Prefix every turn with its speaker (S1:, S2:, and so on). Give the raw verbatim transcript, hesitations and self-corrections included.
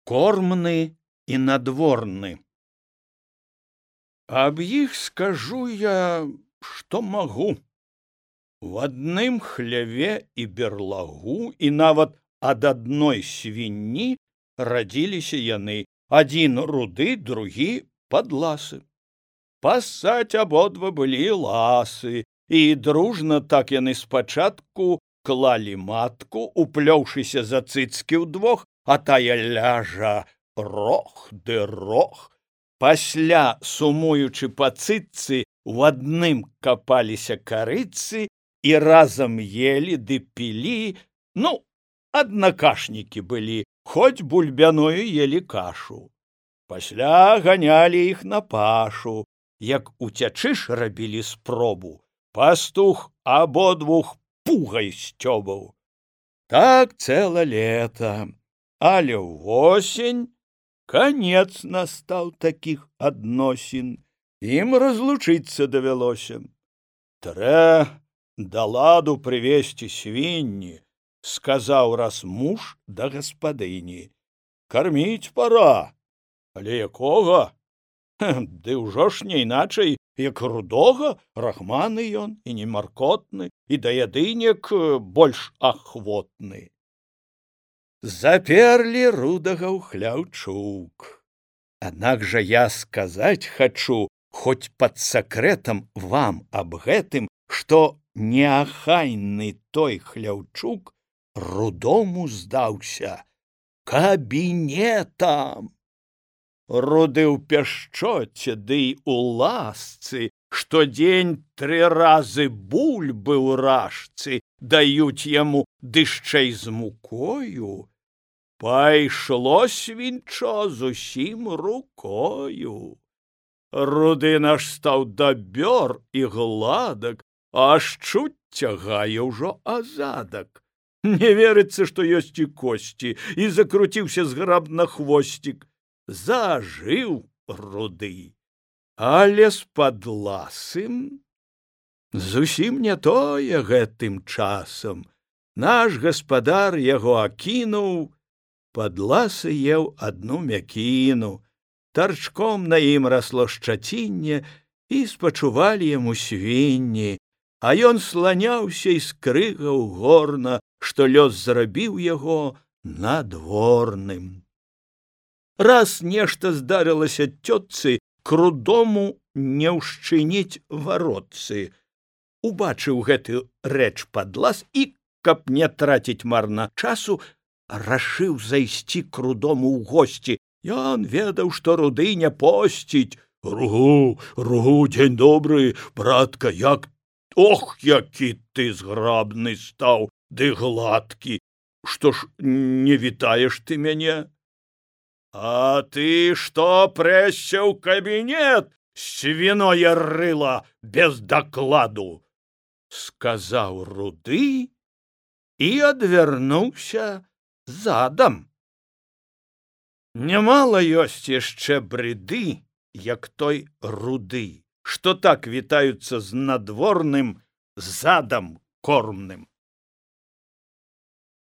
S1: Кормны і надворны. Аб іх скажу я, што магу. В адным хляве і берлагу, і нават ад адной свінні радзіліся яны, адзін руды, другі падласы. Пасаць абодва былі ласы, і дружна так яны спачатку клалі матку, уплёўшыся за цыцкі ўдвох, а тая ляжа рох ды рох. Пасля, сумуючы па цыццы, у адным капаліся карыцы і разам ели ды пілі, ну, аднакашнікі былі, хоць бульбяную ели кашу. Пасля ганялі іх на пашу, як уцячы ж рабілі спробу, пастух абодвух пугай сцёбаў. Так цэла лета, але ўвосень канец настаў такіх адносін, ім разлучыцца давялося. Трэ да ладу прывесці свінні, сказаў раз муж да гаспадыні. Карміць пара, але якога? Ды ўжо ж не іначай, як рудога, рахманы ён і не маркотны, і да ядынек больш ахвотны. Заперлі рудага ў хляўчук. Аднак жа я сказаць хачу, хоць пад сакрэтам вам аб гэтым, што неахайны той хляўчук рудому здаўся кабінетам. Руды ў пяшчоце ды ў ласцы, штодзень тры разы бульбы ў рашцы даюць яму дышчэй з мукою. Пайшло свінчо зусім рукою. Руды наш стаў дабёр і гладак, аж чуць цягае ўжо азадак. Не верыцца, што ёсць і косці, і закруціўся зграбна хвосцік. Зажыў руды, але з падласым зусім не тое гэтым часам. Наш гаспадар яго акінуў, падласы еў адну мякіну. Тарчком на ім расло шчацінне, і спачувалі яму свінні, а ён сланяўся і скрыгаў горна, што лёс зрабіў яго надворным. Раз нешта здарылася цётцы, к рудому не ўшчыніць варотцы. Убачыў гэты рэч падлас і, каб не траціць марна часу, рашыў зайсці к рудому ў госці. Ён ведаў, што руды не посціць. Ругу, ругу, дзень добры, братка, як... Ох, які ты зграбны стаў, ды гладкі. Што ж, не вітаеш ты мяне? А ты што прэсся ў кабінет, свіное рыла без дакладу? Сказаў руды і адвярнуўся задам. Нямала ёсць яшчэ брыды, як той руды, што так вітаюцца з надворным задам кормным.